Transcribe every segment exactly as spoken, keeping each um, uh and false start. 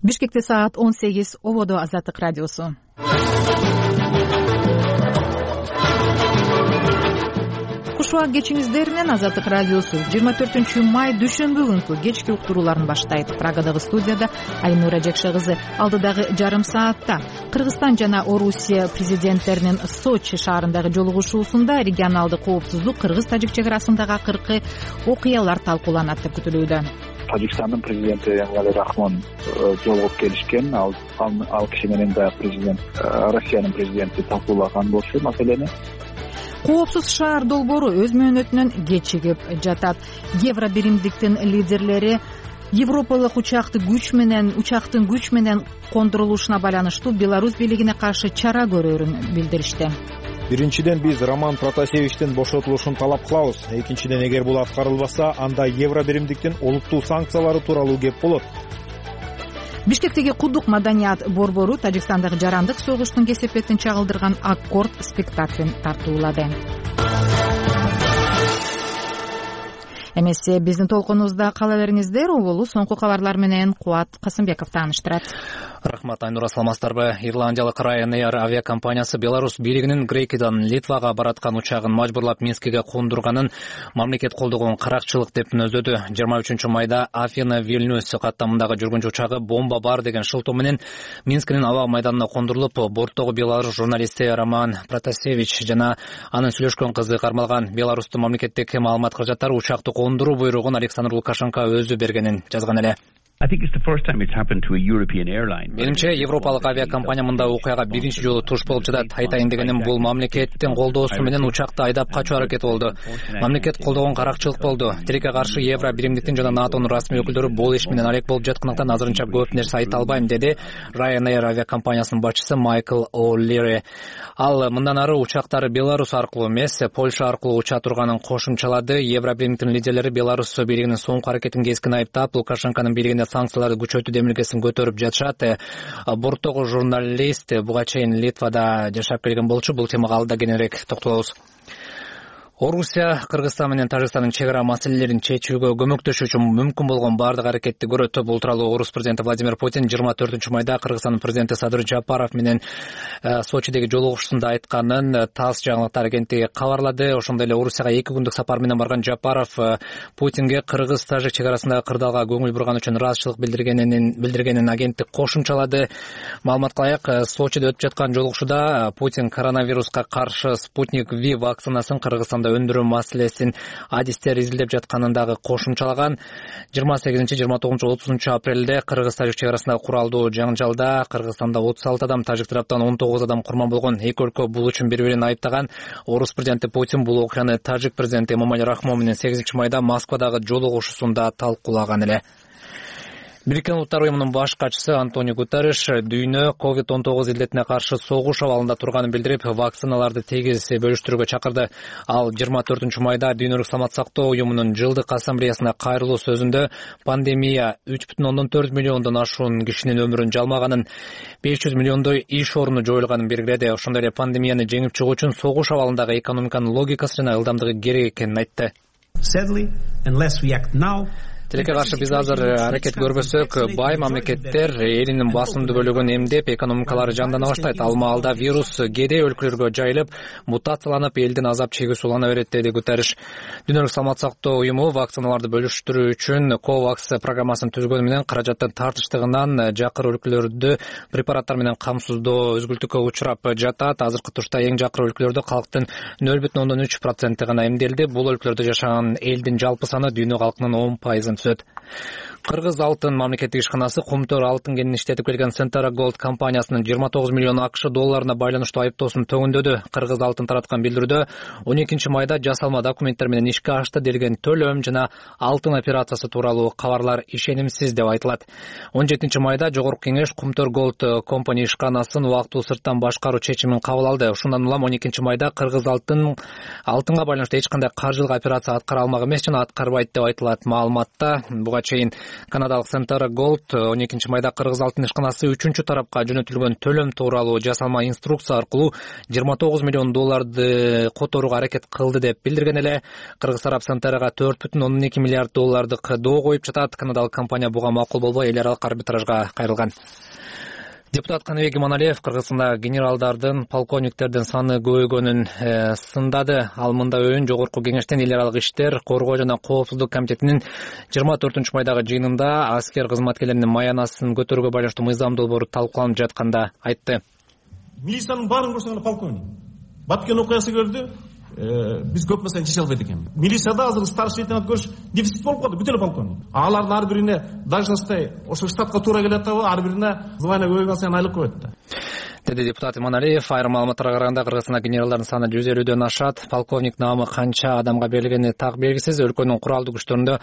Бишкекте саат он сегиз, ободо Азаттык радиосу. Куш убак кечиңиздер менен Азаттык радиосу жыйырма төртүнчү май дүйшөмбү күнкү кечки уктурууларын баштайт. Прагадагы студияда Айнура Жекше кызы. Алдыдагы жарым саатта Кыргызстан жана Орусия президенттеринин Сочи шаарындагы жолугушуусунда регионалдык коопсуздук, кыргыз-тажик чек арасындагы акыркы окуялар талкууланат деп күтүлүүдө. Тажикстандын президенти Эмомали Рахмон жолугуп келишкен, ал ал киши менен да президент Россиянын президенти талкуулаган болчу маселени. Коопсуз шаар долбоору өз мөөнөтүнөн кечигип жатат. Евробиримдиктин лидерлери Европалык учакты күч менен учактын күч менен кондурулушуна байланыштуу Беларусь бийлигине каршы чара көрөрүн билдиришти. Биринчиден, биз Роман Протасевичтин бошотулушун талап кылабыз. Экинчиден, эгер бул аткарылбаса, анда Евробиримдиктин олуттуу санкциялары тууралуу кеп болот. Бишкектеги Кудук маданият борбору Тажикстандагы жарандык согуштун кесепетин чагылдырган Аккорд спектаклин тартуулады. Эмесе биздин толкунубузда кала бериңиздер. Оболу соңку кабарлар менен Кубат Касымбеков тааныштырат. Рахмат, Айнура, саламатсыздарбы? Ирландиялык Ryanair авиакомпаниясы Беларусь бийлигинин Грекиядан Литвага бараткан учагын мажбурлап Минскиге кондурганын мамлекет колдогон каракчылык деп мүнөздөдү. жыйырма үчүнчү майда Афина Вильнюс каттамындагы жүргүнчү учагы бомба бар деген шылтоо менен Минскинин аба майданына кондурулуп, борттогу беларус журналисти Роман Протасевич жана анын сүйлөшкөн кызы кармалган. Беларустун мамлекеттик маалымат каражаттары учакты кондуруу буйругун Александр Лукашенко өзү бергенин жазган эле. Менимче, европалык авиакомпания мындай окуяга биринчи жолу туш болуп жатат. Айтайын дегеним, бул мамлекеттин колдоосу менен учакты айдап качуу аракети болду. Мамлекет колдогон каракчылык болду. Тилекке каршы Евро биримдиктин жана НАТОнун расмий өкүлдөрү бул иш менен алек болуп жаткандыктан азырынча көп нерсе айта албайм, деди Ryanair авиакомпаниясынын башчысы Майкл О'Лири. Ал мындан ары учактары Беларусь аркылуу эмес, Польша аркылуу уча турганын кошумчалады. Евро биримдиктин лидерлери Беларусь бийлигинин соңку аракетин кескин айыптап, Лукашенконун бийлигине санкцияларды күчөтүү демилгесин көтөрүп жатышат. Борттогу журналист буга чейин Литвада жашап келген болчу. Бул темага алда кененирээк токтолобуз. Орусия Кыргызстан менен Тажикстандын чек ара маселелерин чечүүгө көмөктөшүү үчүн мүмкүн болгон бардык аракетти көрөт. Бул тууралуу Орус президенти Владимир Путин жыйырма төртүнчү майда Кыргызстандын президенти Садыр Жапаров менен Сочидеги жолугушуусунда айтканын ТАСС жаңылыктар агенттиги кабарлады. Ошондой эле Орусияга эки күндүк сапар менен барган Жапаров Путинге кыргыз-тажик чек арасындагы кырдаалга көңүл бурган үчүн ыраазычылык билдиргенин билдиргенин агенттик кошумчалады. Маалыматка ылайык, Сочиде өтүп жаткан жолугушууда Путин коронавируска каршы Спутник V вакцинасын Кыргызстанда өндүрүү маселесин адистер изилдеп жатканын дагы кошумчалаган. жыйырма сегизинчи, жыйырма тогузунчу, отузунчу апрелде Кыргыз-тажик чек арасындагы куралдуу жаңжалда Кыргызстанда отуз алты адам, тажик тараптан он тогуз адам курман болгон. Эки өлкө бул үчүн бири-бирин айыптаган. Орус президенти Путин бул окуяны тажик президенти Эмомали Рахмон менен сегизинчи майда Москвадагы жолугушуусунда талкуулаган эле. Бириккен Улуттар уюмунун баш катчысы Антонио Гутерриш дүйнө ковид он тогуз илдетине каршы согуш абалында турганын билдирип, вакциналарды тегиз бөлүштүрүүгө чакырды. Ал жыйырма төртүнчү майда Дүйнөлүк саламат сактоо уюмунун жылдык ассамблеясына кайрылуу сөзүндө пандемия үч бүтүн ондон төрт миллиондон ашуун кишинин өмүрүн жалмаганын, беш жүз миллиондой иш орну жоюлганын белгиледи. Ошондой эле пандемияны жеңип чыгуу үчүн согуш абалындагы экономиканын логикасы жана ылдамдыгы керек экенин айтты. Тилекке каршы биз азыр аракет көрбөсөк, бай мамлекеттер элинин басымдуу бөлүгүн эмдеп, экономикалары жандана баштайт. Ал маалда вирус кедей өлкөлөргө жайылып, мутацияланып, элдин азап чегүүсү улана берет, деди Гутерриш. Дүйнөлүк саламат сактоо уюму вакциналарды бөлүштүрүү үчүн COVAX программасын түзгөнү менен каражаттын тартыштыгынан жакыр өлкөлөрдү препараттар менен камсыздоо өзгүлтүккө учурап жатат. Азыркы турда эң жакыр өлкөлөрдө калктын нөл бүтүн ондон үч проценти гана эмделди. Бул өлкөлөрдө жашаган элдин жалпы саны дүйнө калкынын он пайызын түсөт. Кыргыз алтын мамлекеттик ишканасы кумтөр алтын кенин иштетип келген Centara Gold компаниясынын жыйырма тогуз миллион акш долларына байланыштуу айыптоосун төмөндөдү. Кыргыз алтын тараткан билдирүүдө он экинчи майда жасалма документтер менен ишке ашты делген төлөм жана алтын операциясы тууралуу кабарлар ишенимсиз деп айтылат. он жетинчи майда Жогорку кеңеш Кумтөр Gold компания ишканасын убактылуу сырттан башкаруу чечимин кабыл алды. Ошондон улам он экинчи майда Кыргыз алтын алтынга байланыштуу эч кандай каржылык операция аткара алмак эмес жана аткарбайт деп айтылат. Маалыматта ишканасында. Буга чейин канадалык Center Gold он экинчи майда кыргыз алтын ишканасы үчүнчү тарапка жөнөтүлгөн төлөм тууралуу жасалма инструкция аркылуу жыйырма тогуз миллион долларды которууга аракет кылды деп билдирген эле. Кыргыз тарап Centerга төрт бүтүн ондон эки миллиард доллардык доо коюп жатат. Канадалык компания буга макул болбой эл аралык арбитражга кайрылган. Депутат Каныбек Иманалиев Кыргызстанда генералдардын, полковниктердин саны көбөйгөнүн э, сындады. Ал мындай өйүн жогорку кеңештен эл аралык иштер, коргоо жана коопсуздук комитетинин жыйырма төртүнчү майдагы жыйынында аскер кызматкерлеринин маянасын көтөрүүгө байланыштуу мыйзам долбоору талкууланып жатканда айтты. Милициянын баарын көрсөң полковник. Баткен окуясы көрдү. Биз көп маселени чече албайт экен. Милицияда азыр старший лейтенант көрүш дефицит болуп калды, бүтө эле полковник. Алардын ар бирине должносттой ошо штатка туура келет атабы, ар бирине звание көбөйгөн сайын айлык көбөйт да. Деди депутат Иманалиев. Айрым маалыматтарга караганда Кыргызстанда генералдардын саны жүз элүүдөн ашат. Полковник наамы канча адамга берилгени так белгисиз. Өлкөнүн куралдуу күчтөрүндө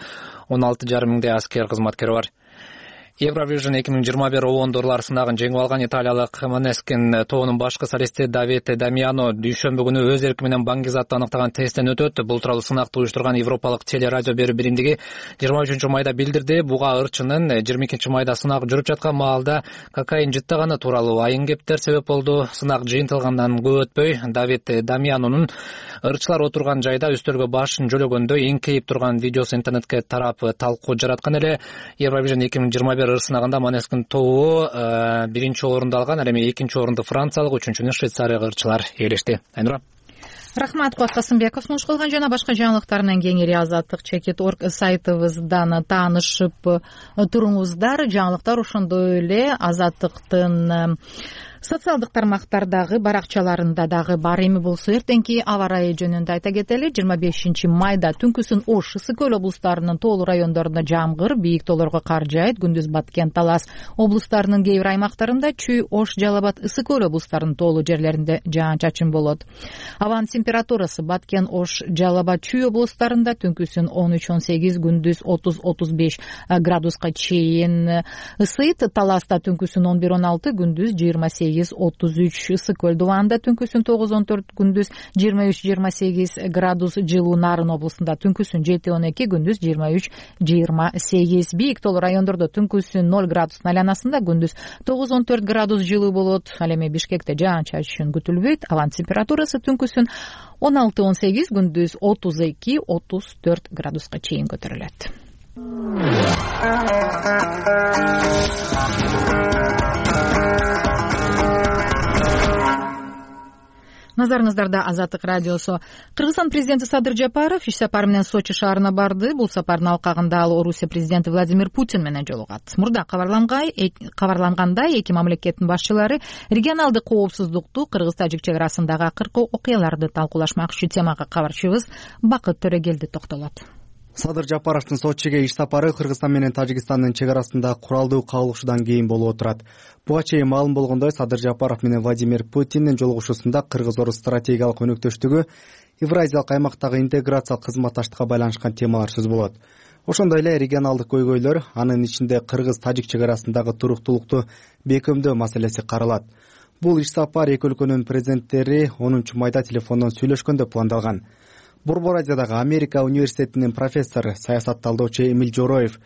он алты жарым миңдей аскер кызматкери бар. Евровижн эки миң жыйырма бир обондорлор сынагын жеңип алган италиялык Måneskin тобунун башкы солисти Давид Дамиано дүйшөмбү күнү өз эрки менен баңгизатты аныктаган тесттен өтөт. Бул тууралуу сынакты уюштурган Европалык телерадио берүү биримдиги жыйырма үчүнчү майда билдирди. Буга ырчынын жыйырма экинчи майда сынак жүрүп жаткан маалда кокаин жыттаганы тууралуу айын кептер себеп болду. Сынак жыйынтылгандан көп өтпөй Давид Дамианонун ырчылар отурган жайда үстөлгө башын жөлөгөндө эңкейип турган видеосу интернетке тарап талкуу жараткан эле. Евровижн эки миң жыйырма бир сынагында Måneskin тобу биринчи орунду алган, ал эми экинчи орунду франциялык, үчүнчүнү швейцариялык ырчылар ээлешти. Айнура. Рахмат, Куат Касымбеков. Муш кылган жана башка жаңылыктарынан кеңири азаттык чекит орг сайтыбыздан таанышып туруңуздар. Жаңылыктар ошондой эле азаттыктын социалдык тармактардагы баракчаларында дагы бар. Эми болсо эртеңки аба ырайы жөнүндө айта кетели. жыйырма бешинчи майда түнкүсүн Ош, Ысык көл облустарынын тоолуу райондорунда жамгыр, бийик тоолорго кар жаайт. Күндүз Баткен, Талас облустарынын кээ бир аймактарында, Чүй, Ош, Жалал Абад, Ысык көл облустарынын тоолуу жерлеринде жаан-чачын болот. Абанын температурасы Баткен, Ош, Жалал Абад, Чүй облустарында түнкүсүн он үч он сегиз, күндүз отуз отуз беш градуска чейин ысыйт. Таласта түнкүсүн он бир он алты, күндүз жыйырма сегиз отуз үч. Ысык көл Дубанда түнкүсүн тогуз он төрт, күндүз жыйырма үч жыйырма сегиз градус жылуу. Нарын облусунда түнкүсүн жети он эки, күндүз жыйырма үч жыйырма сегиз. Бийик тоолуу райондордо түнкүсүн ноль градус айланасында, күндүз тогуз он төрт градус жылуу болот. Ал эми Бишкекте жаан-чачын күтүлбөйт. Абанын температурасы түнкүсүн он алты он сегиз, күндүз отуз эки отуз төрт градуска чейин көтөрүлөт. Назарыңыздарда Азаттык радиосу. Кыргызстан президенти Садыр Жапаров иш сапары менен Сочи шаарына барды. Бул сапардын алкагында ал Орусия президенти Владимир Путин менен жолугат. Мурда кабарлангандай, эки мамлекеттин башчылары регионалдык коопсуздукту, Кыргыз-Тажик чек арасындагы акыркы окуяларды талкуулашмакчы. Темага кабарчыбыз Бакыт Төрөгелди токтолот. Садыр Жапаровдун Сочиге иш сапары Кыргызстан менен Тажикстандын чек арасында куралдуу кагылышуудан кийин болуп отурат. Буга чейин маалым болгондой, Садыр Жапаров менен Владимир Путиндин жолугушуусунда Кыргыз-Орус стратегиялык өнөктөштүгү, Евразиялык аймактагы интеграциялык кызматташтыкка байланышкан темалар сөз болот. Ошондой эле регионалдык көйгөйлөр, анын ичинде Кыргыз-Тажик чек арасындагы туруктуулукту бекемдөө маселеси каралат. Бул иш сапар эки өлкөнүн президенттери онунчу майда телефондон сүйлөшкөндө пландалган. Борбор Азиядагы Америка университетинин профессору, саясатталдоочу Эмиль Жороев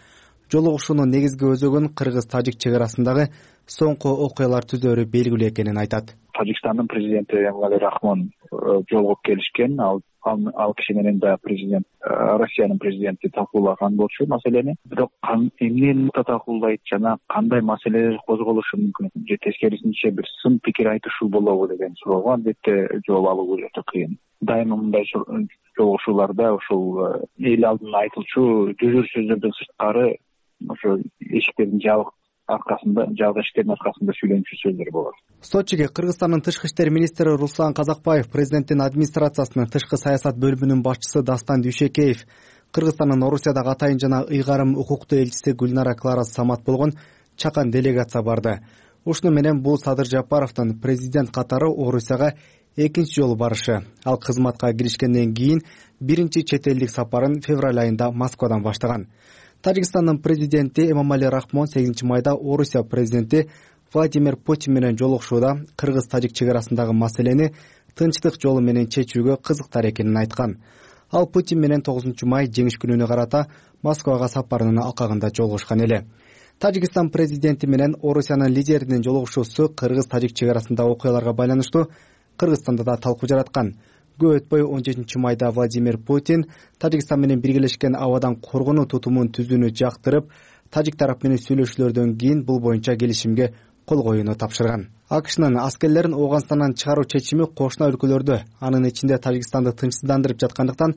жолугушуунун негизги өзөгүн Кыргыз-Тажик чек арасындагы соңку окуялар түзөөрү белгилүү экенин айтат. Тажикстандын президенти Эмомали Рахмон жолугуп келишкен. Ал ал киши менен да президент Россиянын президенти талкуулаган болчу маселени. Бирок эмнени талкуулайт жана кандай маселелер козголушу мүмкүн же тескерисинче бир сын пикир айтышуу болобу деген суроого албетте жооп алуу өтө кыйын. Дайыма мындай жолугушууларда ушул эл алдына айтылчу жүзүр сөздөрдөн сырткары ошо эшиктердин жабык аркасында, жабык эшиктердин аркасында сүйлөнчү сөздөр болот. Сочиге Кыргызстандын тышкы иштер министри Руслан Казакбаев, президенттин администрациясынын тышкы саясат бөлүмүнүн башчысы Дастан Дүйшекеев, Кыргызстандын Орусиядагы атайын жана ыйгарым укуктуу элчиси Гүлнара Клара Самат болгон чакан делегация барды. Ушуну менен бул Садыр Жапаровдун президент катары Орусияга экинчи жолу барышы. Ал кызматка киришкенден кийин биринчи чет элдик сапарын февраль айында Москвадан баштаган. Тажикстандын президенти Эмомали Рахмон сегизинчи майда Орусия президенти Владимир Путин менен жолугушууда Кыргыз-Тажик чек арасындагы маселени тынчтык жолу менен чечүүгө кызыктар экенин айткан. Ал Путин менен тогузунчу май жеңиш күнүнө карата Москвага сапарынын алкагында жолугушкан эле. Тажикстан президенти менен Орусиянын лидеринин жолугушуусу кыргыз-тажик чек арасындагы окуяларга байланыштуу Кыргызстанда да талкуу жараткан. Көп өтпөй он жетинчи майда Владимир Путин Тажикстан менен биргелешкен абадан коргонуу тутумун түзүүнү жактырып, тажик тарап менен сүйлөшүүлөрдөн кийин бул боюнча келишимге кол коюуну тапшырган. АКШнын аскерлерин Ооганстандан чыгаруу чечими кошуна өлкөлөрдө, анын ичинде Тажикстанды тынчсыздандырып жаткандыктан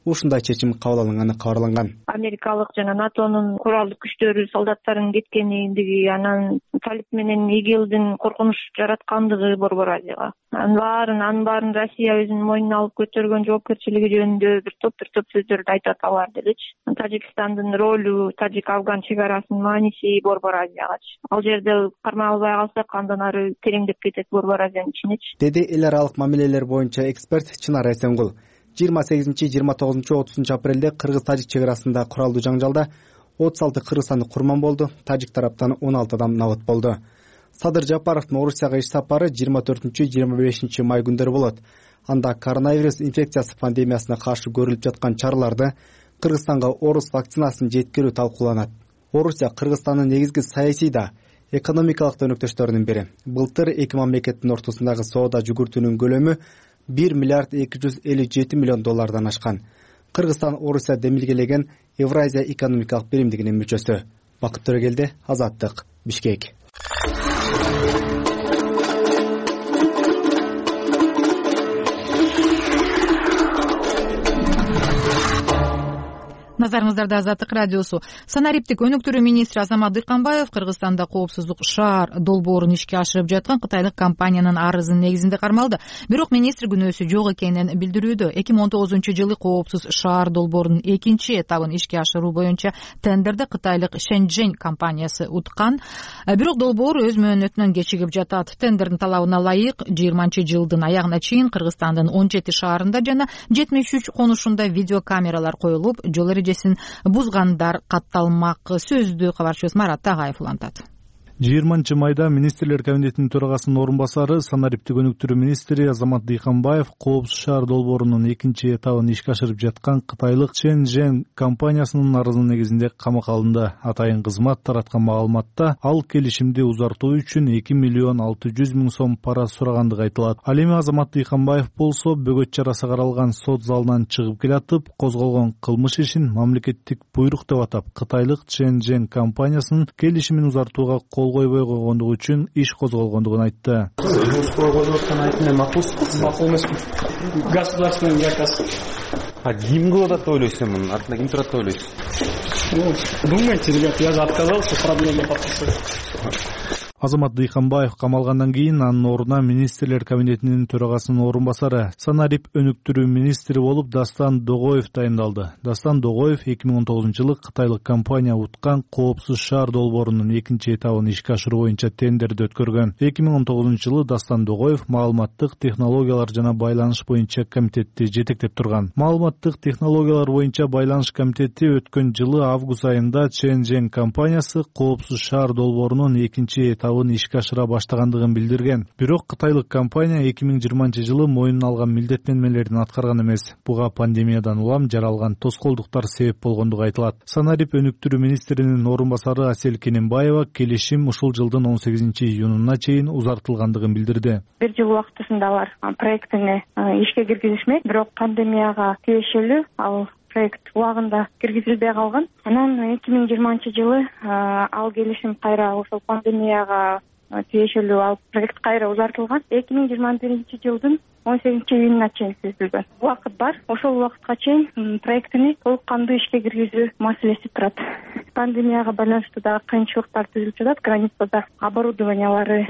ушундай чечим кабыл алынганы кабарланган. Америкалык жана НАТОнун куралдык күчтөрү солдаттарын кеткендиги, анан Талиб менен ИГИЛдин коркунуч жараткандыгы Борбор Азияга. Анын баарын, анын баарын Россия өзүнүн мойнуна алып көтөргөн жоопкерчилиги жөнүндө бир топ бир топ сөздөрдү айтат алар дегичи. Тажикстандын ролу, Тажик-Афган чек арасынын мааниси Борбор Азиягачы. Ал жерде кармай албай калсак, андан ары тереңдеп кетет Борбор Азиянын ичинечи. Деди эл аралык мамилелер боюнча эксперт Чынар Эсенгул. жыйырма сегизинчи, жыйырма тогузунчу, отузунчу апрелде кыргыз-тажик чек арасында куралдуу жаңжалда отуз алты кыргызстандык курман болду, тажик тараптан он алты адам набыт болду. Садыр Жапаровдун Орусияга иш сапары жыйырма төртүнчү, жыйырма бешинчи май күндөрү болот. Анда коронавирус инфекциясы пандемиясына каршы көрүлүп жаткан чараларды, Кыргызстанга орус вакцинасын жеткирүү талкууланат. Орусия Кыргызстандын негизги саясий да, экономикалык да өнөктөштөрүнүн бири. Былтыр эки мамлекеттин ортосундагы соода жүгүртүүнүн көлөмү бир миллиард эки жүз элүү жети миллион доллардан ашкан. Кыргызстан Орусия демилгелеген Евразия экономикалык биримдигинин мүчөсү. Бакыт Төрөгелди, Азаттык, Бишкек. Назарыңыздарда Азаттык радиосу. Санариптик өнүктүрүү министри Азамат Дыйканбаев Кыргызстанда коопсуздук шаар долбоорун ишке ашырып жаткан кытайлык компаниянын арызынын негизинде кармалды. Бирок министр күнөөсү жок экенин билдирүүдө. эки миң он тогузунчу жылы коопсуз шаар долбоорунун экинчи этабын ишке ашыруу боюнча тендерди кытайлык Шэньчжэнь компаниясы уткан. Бирок долбоор өз мөөнөтүнөн кечигип жатат. Тендердин талабына ылайык жыйырманчы жылдын аягына чейин Кыргызстандын он жети шаарында жана жетимиш үч конушунда видеокамералар коюлуп, жол эрежесин бузгандар катталмак. Сөздү кабарчыбыз Марат Тагаев улантат. жыйырманчы майда министрлер кабинетинин төрагасынын орун басары, санариптик өнүктүрүү министри Азамат Дыйканбаев коопсуз шаар долбоорунун экинчи этабын ишке ашырып жаткан кытайлык Шэньчжэнь компаниясынын арызынын негизинде камакка алынды. Атайын кызмат тараткан маалыматта ал келишимди узартуу үчүн эки миллион алты жүз миң сом пара сурагандыгы айтылат. Ал эми Азамат Дыйканбаев болсо бөгөт чарасы каралган сот залынан чыгып келатып, козголгон кылмыш ишин мамлекеттик буйрук деп атап, кытайлык Шэньчжэнь компаниясынын келишимин узартууга кол койбой койгондугу үчүн иш козголгондугун айтты. Макул эмесмин. Государственный заказ. А ким кылып атат деп ойлойсуз, мунун артында ким турат деп ойлойсуз? Думайте, ребята, я же отказался проблему подписывать. Азамат Дыйканбаев камалгандан кийин анын ордуна министрлер кабинетинин төрагасынын орун басары, санарип өнүктүрүү министри болуп Дастан Догоев тайындалды. Дастан Догоев эки миң он тогузунчу жылы кытайлык компания уткан коопсуз шаар долбоорунун экинчи этабын ишке ашыруу боюнча тендерди өткөргөн. эки миң он тогузунчу жылы Дастан Догоев маалыматтык технологиялар жана байланыш боюнча комитетти жетектеп турган. Маалыматтык технологиялар боюнча байланыш комитети өткөн жылы август айында Шэньчжэнь компаниясы коопсуз шаар долбоорунун экинчи этабын ишке ашыра баштагандыгын билдирген. Бирок кытайлык компания эки миң жыйырманчы жылы мойнуна алган милдеттенмелерин аткарган эмес. Буга пандемиядан улам жаралган тоскоолдуктар себеп болгондугу айтылат. Санарип өнүктүрүү министринин орун басары Асель Кененбаева келишим ушул жылдын он сегизинчи июнуна чейин узартылгандыгын билдирди. Бир жыл убактысында алар проектини ишке киргизишмек, бирок пандемияга тийиштүү ал проект убагында киргизилбей калган. Анан эки миң жыйырманчы жылы ал келишим кайра ошол пандемияга тийиштүү ал проект кайра узартылган. эки миң жыйырма биринчи жылдын он сегизинчи июнуна чейин түзүлгөн. Убакыт бар. Ошол убакытка чейин проектини толук кандуу ишке киргизүү маселеси турат. Пандемияга байланыштуу дагы кыйынчылыктар түзүлүп жатат. Границада оборудованиялары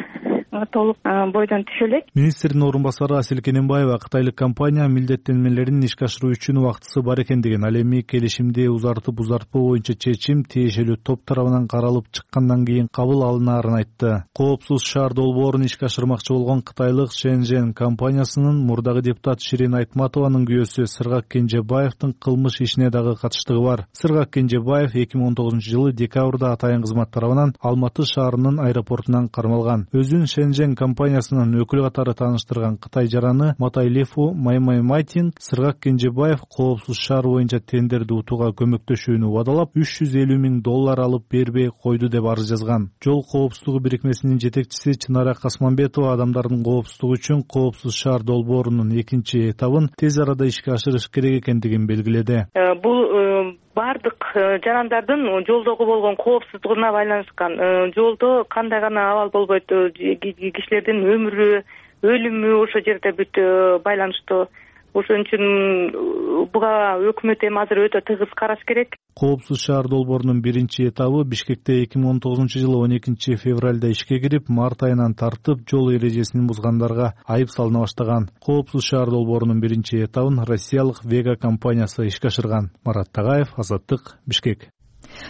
толук бойдон түшө элек. Министрдин орун басары Асель Кененбаева кытайлык компания милдеттенмелерин ишке ашыруу үчүн убактысы бар экендигин, ал эми келишимди узартып узартпоо боюнча чечим тиешелүү топ тарабынан каралып чыккандан кийин кабыл алынаарын айтты. Коопсуз шаар долбоорун ишке ашырмакчы болгон кытайлык Шэньчжэнь компаниясынын партиясынын мурдагы депутаты Ширин Айтматованын күйөөсү Сыргак Кенжебаевдин кылмыш ишине дагы катыштыгы бар. Сыргак Кенжебаев эки миң он тогузунчу жылы декабрда атайын кызмат тарабынан Алматы шаарынын аэропортунан кармалган. Өзүн Шенжен компаниясынын өкүлү катары тааныштырган Кытай жараны Матайлефу Маймаймайтин Сыргак Кенжебаев коопсуз шаар боюнча тендерди утууга көмөктөшүүнү убадалап үч жүз элүү миң доллар алып бербей койду деп арыз жазган. Жол коопсуздугу бирикмесинин жетекчиси Чынара Касманбетова адамдардын коопсуздугу үчүн коопсуз шаар долбоорунун экинчи этабын тез арада ишке ашырыш керек экендигин белгиледи. Бул бардык жарандардын жолдогу болгон коопсуздугуна байланышкан. Жолдо кандай гана абал болбойт, кишилердин өмүрү, өлүмү ошо жерде бүт байланыштуу. Ошон үчүн буга өкмөт эми азыр өтө тыгыз караш керек. Коопсуз шаар долбоорунун биринчи этабы Бишкекте эки миң он тогузунчу жылы он экинчи февралда ишке кирип, март айынан тартып жол эрежесин бузгандарга айып салына баштаган. Коопсуз шаар долбоорунун биринчи этабын россиялык Вега компаниясы ишке ашырган. Марат Тагаев, Азаттык, Бишкек.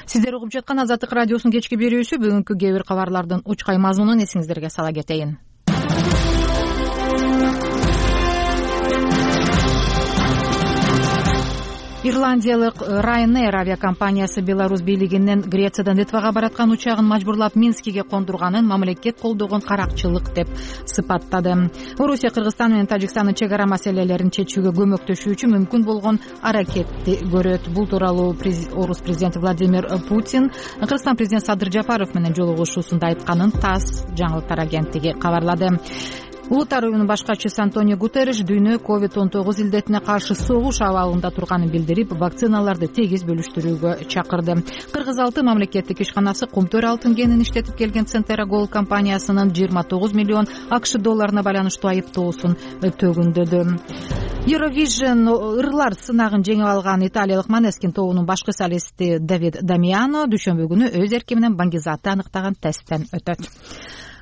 Сиздер угуп жаткан Азаттык радиосунун кечки берүүсү. Бүгүнкү кээ бир кабарлардын учкай мазмунун эсиңиздерге сала кетейин. Ирландиялык Ryanair авиакомпаниясы Беларусь бийлигинин Грециядан Литвага бараткан учагын мажбурлап Минскиге кондурганын мамлекет колдогон каракчылык деп сыпаттады. Орусия Кыргызстан менен Тажикстандын чек ара маселелерин чечүүгө көмөктөшүүчү мүмкүн болгон аракетти көрөт. Бул тууралуу Орус президенти Владимир Путин Кыргызстан президенти Садыр Жапаров менен жолугушуусунда айтканын ТАСС жаңылыктар агенттиги кабарлады. Улуттар уюмунун башкачысы Антонио Гутерриш дүйнө ковид он тогуз илдетине каршы согуш абалында турганын билдирип, вакциналарды тегиз бөлүштүрүүгө чакырды. Кыргыз алты мамлекеттик ишканасы Кумтөр алтын кенин иштетип келген Центера Gold компаниясынын жыйырма тогуз миллион акш долларына байланыштуу айыптоосун төгүндөдү. Eurovision ырлар сынагын жеңип алган италиялык Måneskin тобунун башкы солисти Давид Дамиано дүйшөмбү күнү өз эрки менен Баңгизатты аныктаган тесттен өтөт.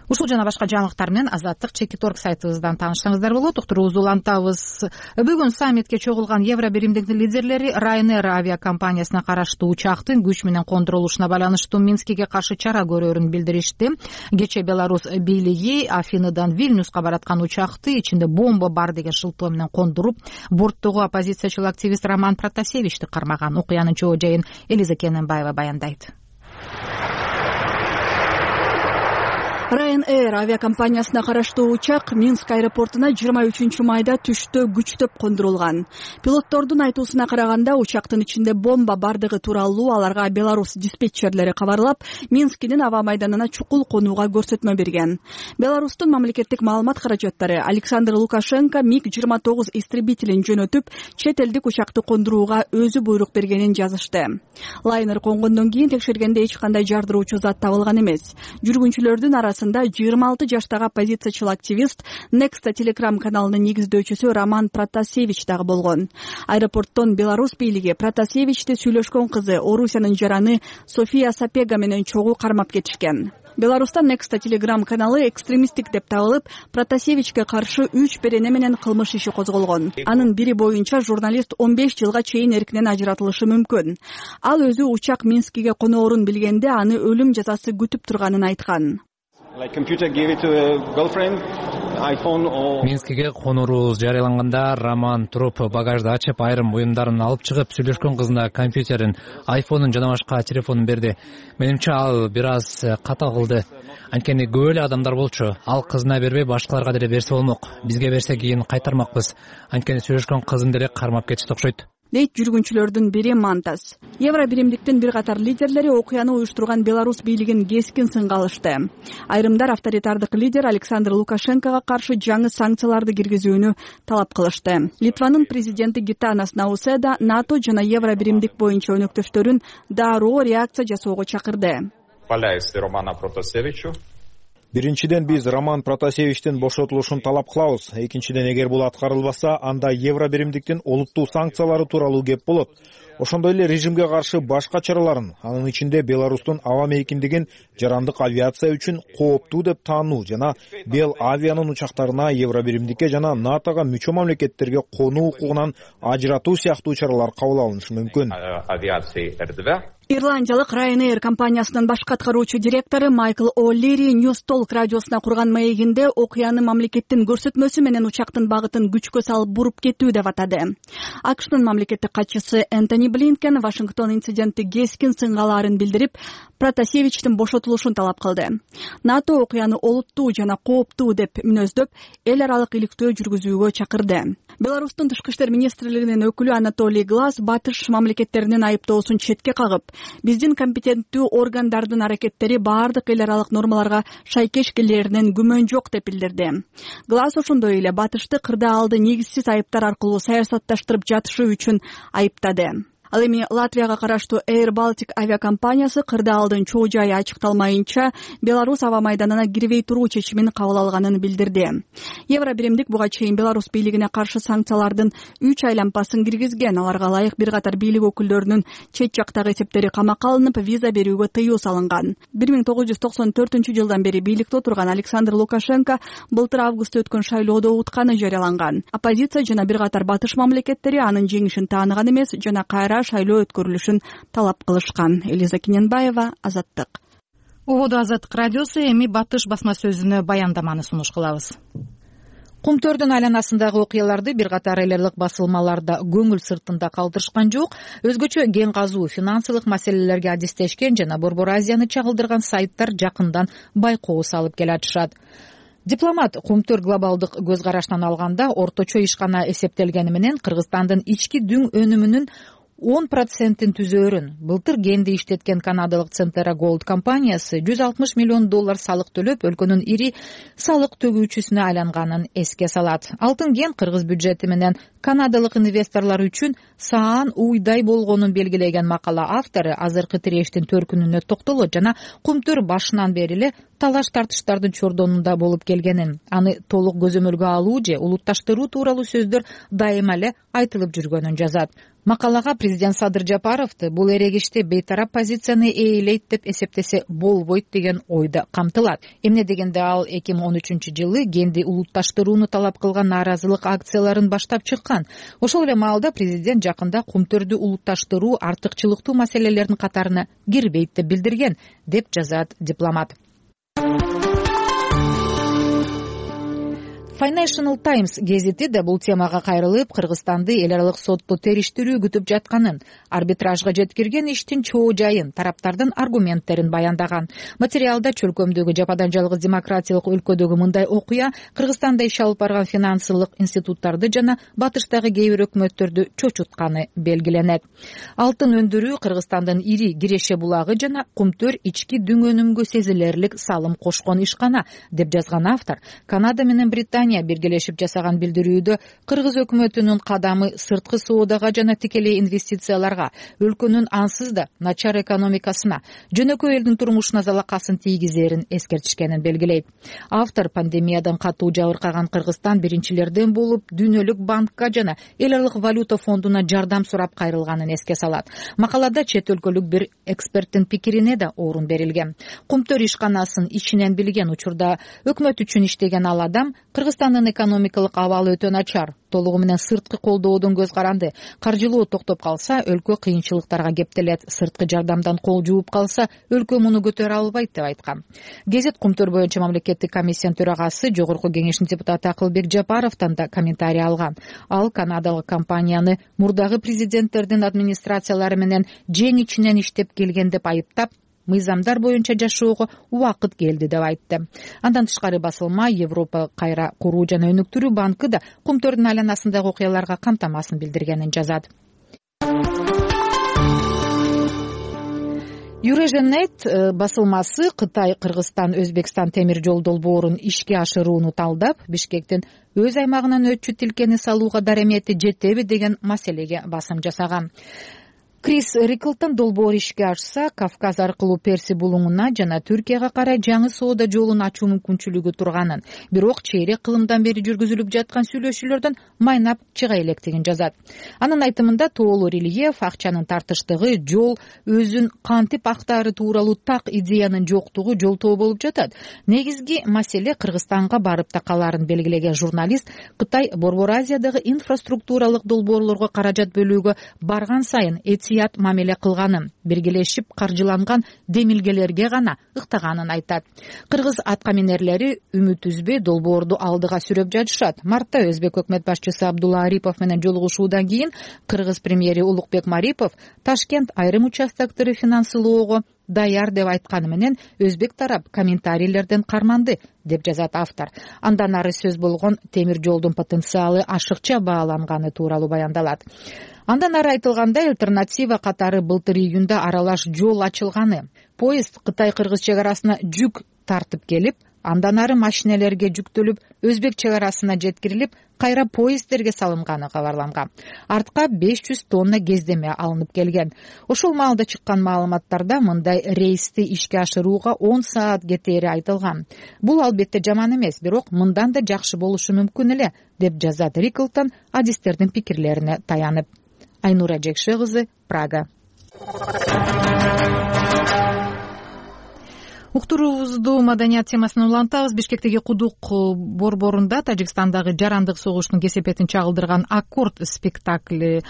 Ушул жана башка жаңылыктар менен Азаттык Чекит точка орг сайтыбыздан таанышсаңыздар болот. Уктуруубузду улантабыз. Бүгүн саммитке чогулган Евро биримдиктин лидерлери Ryanair авиакомпаниясына караштуу учактын күч менен кондурулушуна байланыштуу Минскиге каршы чара көрөрүн билдиришти. Кечээ Беларусь бийлиги Афиныдан Вильнюска бараткан учакты ичинде бомба бар деген шылтоо менен кондуруп, борттогу оппозициячыл активист Роман Протасевичти кармаган. Окуянын чоо жайын Элиза Кененбаева баяндайт. Ryanair авиакомпаниясына караштуу учак Минск аэропортуна жыйырма үчүнчү майда түштө күчтөп кондурулган. Пилоттордун айтуусуна караганда учактын ичинде бомба бардыгы тууралуу аларга Беларусь диспетчерлери кабарлап, Минскинин аба майданына чукул конууга көрсөтмө берген. Беларустун мамлекеттик маалымат каражаттары Александр Лукашенко миг жыйырма тогуз истребителин жөнөтүп, чет элдик учакты кондурууга өзү буйрук бергенин жазышты. Лайнер конгондон кийин текшергенде эч кандай жардыруучу зат табылган эмес. Жүргүнчүлөрдүн арасында жыйырма алты жаштагы оппозициячыл активист Nexta Telegram каналынын негиздөөчүсү Роман Протасевич дагы болгон. Аэропорттон Беларусь бийлиги Протасевичти сүйлөшкөн кызы Орусиянын жараны София Сапега менен чогуу кармап кетишкен. Беларустан Nexta Telegram каналы экстремисттик деп табылып, Протасевичке каршы үч берене менен кылмыш иши козголгон. Анын бири боюнча журналист он беш жылга чейин эркинен ажыратылышы мүмкүн. Ал өзү учак Минскиге коноорун билгенде аны өлүм жазасы күтүп турганын айткан. Минскиге конуурубуз жарыяланганда Роман туруп багажды ачып, айрым буюмдарын алып чыгып, сүйлөшкөн кызына компьютерин, айфонун жана башка телефонун берди. Менимче ал бир аз ката кылды. Анткени көп эле адамдар болчу. Ал кызына бербей башкаларга деле берсе болмок. Бизге берсе кийин кайтармакпыз. Анткени сүйлөшкөн кызын деле кармап кетишти окшойт. Дейт жүргүнчүлөрдүн бири Мантас. Евро биримдиктин бир катар лидерлери окуяны уюштурган Беларусь бийлигин кескин сынга алышты. Айрымдар авторитардык лидер Александр Лукашенкого каршы жаңы санкцияларды киргизүүнү талап кылышты. Литванын президенти Гитанас Науседа НАТО жана Евро биримдик боюнча өнөктөштөрүн дароо реакция жасоого чакырды. Биринчиден биз Роман Протасевичтин бошотулушун талап кылабыз. Экинчиден, эгер бул аткарылбаса, анда Евро биримдиктин олуттуу санкциялары тууралуу кеп болот. Ошондой эле режимге каршы башка чараларын, анын ичинде Беларустун аба мейкиндигин жарандык авиация үчүн кооптуу деп таануу жана Бел авианын учактарына Евро биримдикке жана НАТОга мүчө мамлекеттерге конуу укугунан ажыратуу сыяктуу чаралар кабыл алынышы мүмкүн. Ирландиялык Ryanair компаниясынын башкы аткаруучу директору Майкл О'Лири News Talk радиосуна курган маегинде окуяны мамлекеттин көрсөтмөсү менен учактын багытын күчкө салып буруп кетүү деп атады. АКШнын мамлекеттик катчысы Энтони Блинкен Вашингтон инцидентти кескин сынгалаарын билдирип, Протасевичтин бошотулушун талап кылды. НАТО окуяны олуттуу жана кооптуу деп мүнөздөп, эл аралык иликтөө жүргүзүүгө чакырды. Беларустун тышкы иштер министрлигинин өкүлү Анатолий Глаз батыш мамлекеттеринин айыптоосун четке кагып, биздин компетенттүү органдардын аракеттери баардык эл аралык нормаларга шайкеш келеринен күмөн жок деп билдирди. Глаз ошондой эле батышты кырдаалды негизсиз айыптар аркылуу саясатташтырып жатышы үчүн айыптады. Ал эми Латвияга караштуу Air Baltic авиакомпаниясы кырдаалдын чоо жайы ачыкталмайынча Беларусь аба майданына кирбей туруу чечимин кабыл алганын билдирди. Евро биримдик буга чейин Беларусь бийлигине каршы санкциялардын үч айлампасын киргизген. Аларга ылайык бир катар бийлик өкүлдөрүнүн чет жактагы эсептери камакка алынып, виза берүүгө тыюу салынган. бир миң тогуз жүз токсон төртүнчү жылдан бери бийликте отурган Александр Лукашенко былтыр августта өткөн шайлоодо утканы жарыяланган. Оппозиция жана бир катар батыш мамлекеттери анын жеңишин тааныган эмес жана кайра шайлоо өткөрүлүшүн талап кылышкан. Элиза Киненбаева, Азаттык. Убоду Азаттык радиосу, эми батыш басма сөзүнө баяндаманы сунуш кылабыз. Кумтөрдүн айланасындагы окуяларды бир катар эл аралык басылмаларда көңүл сыртында калтырышкан жок. Өзгөчө кен казуу, финансылык маселелерге адистешкен жана Борбор Азияны чагылдырган сайттар жакындан байкоо салып келатышат. Дипломат Кумтөр глобалдык көз караштан алганда орточо ишкана эсептелгени менен Кыргызстандын ички дүң өнүмүнүн он процентин түзөөрүн былтыр кенди иштеткен канадалык Centera Gold компаниясы жүз алтымыш миллион доллар салык төлөп, өлкөнүн ири салык төгүүчүсүнө айланганын эске салат. Алтын кен кыргыз бюджети менен канадалык инвесторлор үчүн саан уйдай болгонун белгилеген макала автору азыркы тирештин төркүнүнө токтолот жана Кумтөр башынан бери эле талаш тартыштардын чордонунда болуп келгенин, аны толук көзөмөлгө алуу же улутташтыруу тууралуу сөздөр дайыма эле айтылып жүргөнүн жазат. Макалага президент Садыр Жапаровду бул эрегиште бейтарап позицияны ээлейт деп эсептесе болбойт деген ойда камтылат. Эмне дегенде ал эки миң он үчүнчү жылы кенди улутташтырууну талап кылган нааразылык акцияларын баштап чыккан. Ошол эле маалда президент жакында Кумтөрдү улутташтыруу артыкчылыктуу маселелердин катарына кирбейт деп билдирген, деп жазат дипломат. Financial Times гезити да бул темага кайрылып, Кыргызстанды эл аралык сотто териштирүү күтүп жатканын, арбитражга жеткирген иштин чоо жайын, тараптардын аргументтерин баяндаган. Материалда чөлкөмдөгү жападан жалгыз демократиялык өлкөдөгү мындай окуя Кыргызстанда иш алып барган финансылык институттарды жана батыштагы кээ бир өкмөттөрдү чочутканы белгиленет. Алтын өндүрүү Кыргызстандын ири Киреше булагы жана Кумтөр ички дүң өнүмгө сезилерлик салым кошкон ишкана, деп жазган автор. Канада менен Британия биргелешип жасаган билдирүүдө Кыргыз өкмөтүнүн кадамы сырткы соодага жана тикелей инвестицияларга, өлкөнүн ансыз да начар экономикасына, жөнөкөй элдин турмушуна залакасын тийгизерин эскертишкенин белгилейт. Автор пандемиядан катуу жабыркаган Кыргызстан биринчилерден болуп Дүйнөлүк банкка жана эл аралык валюта фондуна жардам сурап кайрылганын эске салат. Макалада чет өлкөлүк бир эксперттин пикирине да орун берилген. Кумтөр ишканасын ичинен билген учурда өкмөт үчүн иштеген ал адам Кыргызстандын экономикалык абалы өтө начар, толугу менен сырткы колдоодон көз каранды. Каржылоо токтоп калса, өлкө кыйынчылыктарга кептелет. Сырткы жардамдан кол жууп калса, өлкө муну көтөрө албайт деп айткан. Гезит Кумтөр боюнча мамлекеттик комиссиянын төрагасы Жогорку кеңештин депутаты Акылбек Жапаровдон да комментарий алган. Ал канадалык компанияны мурдагы президенттердин администрациялары менен жең ичинен иштеп келген деп айыптап, мыйзамдар боюнча жашоого убакыт келди деп айтты. Андан тышкары басылма Европа кайра куруу жана өнүктүрүү банкы да Кумтөрдүн айланасындагы окуяларга камтамасын билдиргенин жазат. Юреженет басылмасы Кытай, Кыргызстан, Өзбекстан темир жол долбоорун ишке ашырууну талдап, Бишкектин өз аймагынан өтчү тилкени салууга даремети жетеби деген маселеге басым жасаган. Крис Риклтон долбоор ишке ашса, Кавказ аркылуу Перси булуңуна жана Түркияга карай жаңы соода жолун ачуу мүмкүнчүлүгү турганын, бирок чейрек кылымдан бери жүргүзүлүп жаткан сүйлөшүүлөрдөн майнап чыга электигин жазат. Анын айтымында тоолуу рельеф, акчанын тартыштыгы, жол өзүн кантип актаары тууралуу так идеянын жоктугу жолтоо болуп жатат. Негизги маселе Кыргызстанга барып такалаарын белгилеген журналист Кытай Борбор Азиядагы инфраструктуралык долбоорлорго каражат бөлүүгө барган сайын сыят мамиле кылганын, биргелешип каржыланган демилгелерге гана ыктаганын айтат. Кыргыз аткаминерлери үмүт үзбөй долбоорду алдыга сүрөп жатышат. Мартта өзбек өкмөт башчысы Абдулла Арипов менен жолугушуудан кийин кыргыз премьери Улукбек Марипов Ташкент айрым участоктору финансылоого даяр деп айтканы менен өзбек тарап комментарийлерден карманды деп жазат автор. Андан ары сөз болгон темир жолдун потенциалы ашыкча бааланганы тууралуу баяндалат. Андан ары айтылгандай, альтернатива катары былтыр июнда аралаш жол ачылганы. Поезд Кытай-Кыргыз чек арасына жүк тартып келип, андан ары машинелерге жүктөлүп, Өзбек чек арасына жеткирилип, кайра поезддерге салынганы кабарланган. Артка беш жүз тонна кездеме алынып келген. Ошол маалда чыккан маалыматтарда мындай рейсти ишке ашырууга он саат кетери айтылган. Бул албетте жаман эмес, бирок мындан да жакшы болушу мүмкүн эле, деп жазат Риклтон адистердин пикирлерине таянып. Айнура Жекше кызы, Прага. Уктуруубузду маданият темасына улантабыз. Бишкектеги Кудук борборунда Тажикстандагы жарандык согуштун кесепетин чагылдырган Аккорд спектакли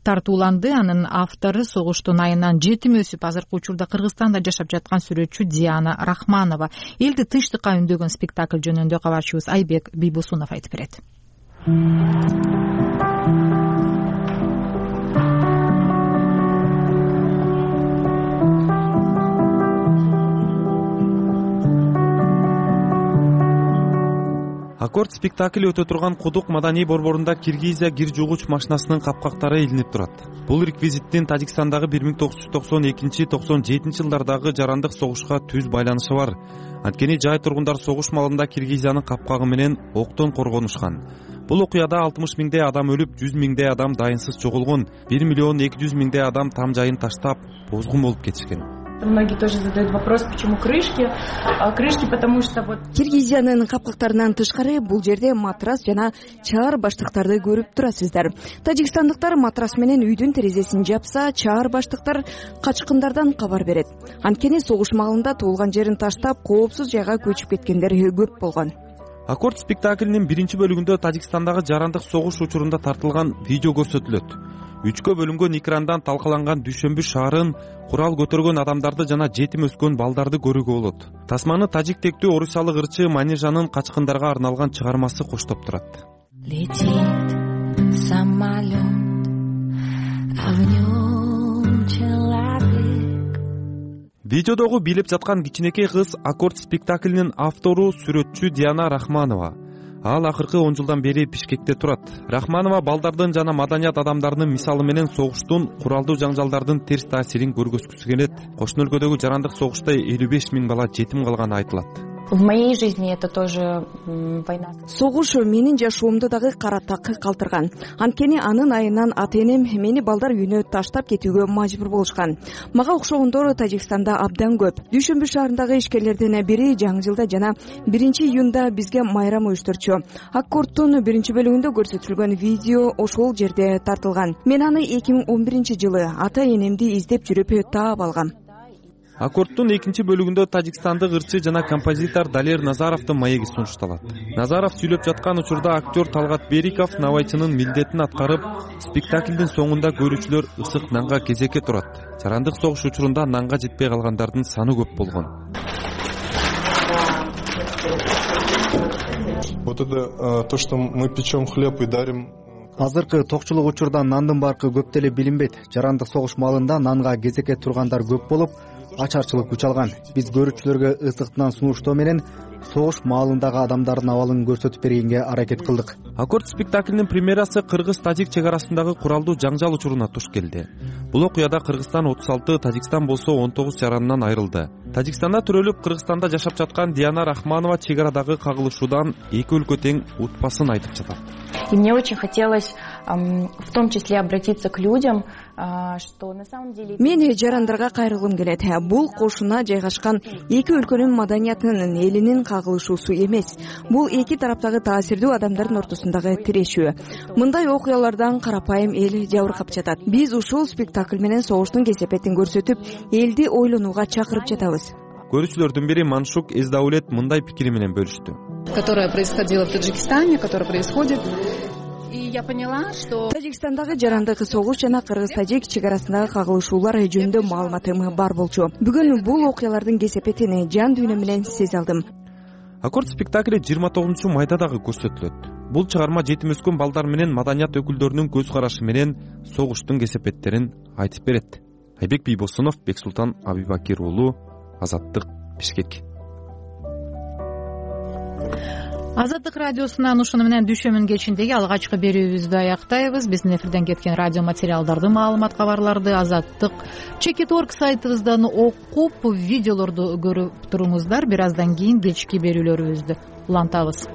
тартууланды. Анын автору согуштун айынан жетим өсүп, азыркы учурда Кыргызстанда жашап жаткан сүрөтчү Диана Рахманова. Элди тынчтыкка үндөгөн спектакль жөнүндө кабарчыбыз Айбек Бийбусунов айтып берет. Аккорд спектакли өтө турган Кудук маданий борборунда Киргизия кир жуугуч машинасынын капкактары илинип турат. Бул реквизиттин Тажикстандагы бир миң тогуз жүз токсон экинчи — токсон жетинчи жылдардагы жарандык согушка түз байланышы бар. Анткени жай тургундар согуш маалында Киргизиянын капкагы менен октон коргонушкан. Бул окуяда алтымыш миңдей адам өлүп, жүз миңдей адам дайынсыз жоголгон, бир миллион эки жүз миңдей адам там жайын таштап, бозгун болуп кетишкен. Многие тоже задают вопрос, почему крышки. Крышки, потому что вот... Киргизиянын капкактарынан тышкары бул жерде матрас жана чаар баштыктарды көрүп турасыздар. Тажикстандыктар матрас менен үйдүн терезесин жапса, чаар баштыктар качкындардан кабар берет. Анткени согуш маалында туулган жерин таштап, коопсуз жайга көчүп кеткендер көп болгон. Аккорд спектаклинин биринчи бөлүгүндө Тажикстандагы жарандык согуш учурунда тартылган видео көрсөтүлөт. Үчкө бөлүнгөн экрандан талкаланган Дүйшөмбү шаарын, курал көтөргөн адамдарды жана жетим өскөн балдарды көрүүгө болот. Тасманы тажик тектүү орусиялык ырчы Манижанын качкындарга арналган чыгармасы коштоп турат. Летит самолет, а в нем человек. Видеодогу бийлеп жаткан кичинекей кыз Аккорд спектаклинин автору сүрөтчү Диана Рахманова. Ал акыркы он жылдан бери Бишкекте турат. Рахманова балдардын жана маданият адамдарынын мисалы менен согуштун, куралдуу жаңжалдардын терс таасирин көргөзгүсү келет. Кошуна өлкөдөгү жарандык согушта элүү беш миң бала жетим калганы айтылат. В моей жизни это тоже война. Согуш менин жашоомду дагы кара так калтырган. Анткени анын айынан ата-энем мени балдар үйүнө таштап кетүүгө мажбур болушкан. Мага окшогондор Тажикстанда абдан көп. Дүйшөмбү шаарындагы ишкерлердин бири жаңы жылда жана биринчи июнда бизге майрам уюштурчу. Аккордтун биринчи бөлүгүндө көрсөтүлгөн видео ошол жерде тартылган. Мен аны эки миң он биринчи жылы ата-энемди издеп жүрүп таап алгам. Аккордтун экинчи бөлүгүндө тажикстандык ырчы жана композитор Далер Назаровдун маеги сунушталат. Назаров сүйлөп жаткан учурда актер Талгат Бериков навайчынын милдетин аткарып, спектаклдин соңунда көрүүчүлөр ысык нанга кезекке турат. Жарандык согуш учурунда нанга жетпей калгандардын саны көп болгон. Вот это то, что мы печем хлеб и дарим. Азыркы токчулук учурда нандын баркы көп деле билинбейт. Жарандык согуш маалында нанга кезекке тургандар көп болуп, ачарчылык күч алган. Биз көрүүчүлөргө ысыктан сунуштоо менен согуш маалындагы адамдардын абалын көрсөтүп бергенге аракет кылдык. Аккорд спектаклинин премьерасы кыргыз-тажик чек арасындагы куралдуу жаңжал учуруна туш келди. Бул окуяда Кыргызстан отуз алты, Тажикстан болсо он тогуз жаранынан айрылды. Тажикстанда төрөлүп, Кыргызстанда жашап жаткан Диана Рахманова чек арадагы кагылышуудан эки өлкө тең утпасын айтып жатат. И мне очень хотелось в том числе обратиться к людям, что на самом деле... Мен жарандарга кайрылгым келет. Бул кошуна жайгашкан эки өлкөнүн маданиятынын, элинин кагылышуусу эмес. Бул эки тараптагы таасирдүү адамдардын ортосундагы тирешүү. Мындай окуялардан карапайым эл жабыркап жатат. Биз ушул спектакль менен согуштун кесепетин көрсөтүп, элди ойлонууга чакырып жатабыз. Көрүүчүлөрдүн бири Маншук Эздаулет мындай пикири менен бөлүштү. Которая происходила в Таджикистане, которая происходит. и я поняла, что Тажикстандагы жарандык согуш жана кыргыз-тажик чек арасындагы кагылышуулар жөнүндө маалыматым бар болчу. Бүгүн бул окуялардын кесепетин жан дүйнөм менен сезе алдым. Аккорд спектакли жыйырма тогузунчу майда дагы көрсөтүлөт. Бул чыгарма жетим өскөн балдар менен маданият өкүлдөрүнүн көз карашы менен согуштун кесепеттерин айтып берет. Айбек Бийбосунов, Бексултан Абибакир уулу, Азаттык, Бишкек. Азаттык радиосунан ушуну менен дүйшөмүн кечиндеги алгачкы берүүбүздү аяктайбыз. Биздин эфирден кеткен радио материалдарды, маалымат, кабарларды Азаттык чекит точка орг сайтыбыздан окуп, видеолорду көрүп туруңуздар. Бир аздан кийин кечки берүүлөрүбүздү улантабыз.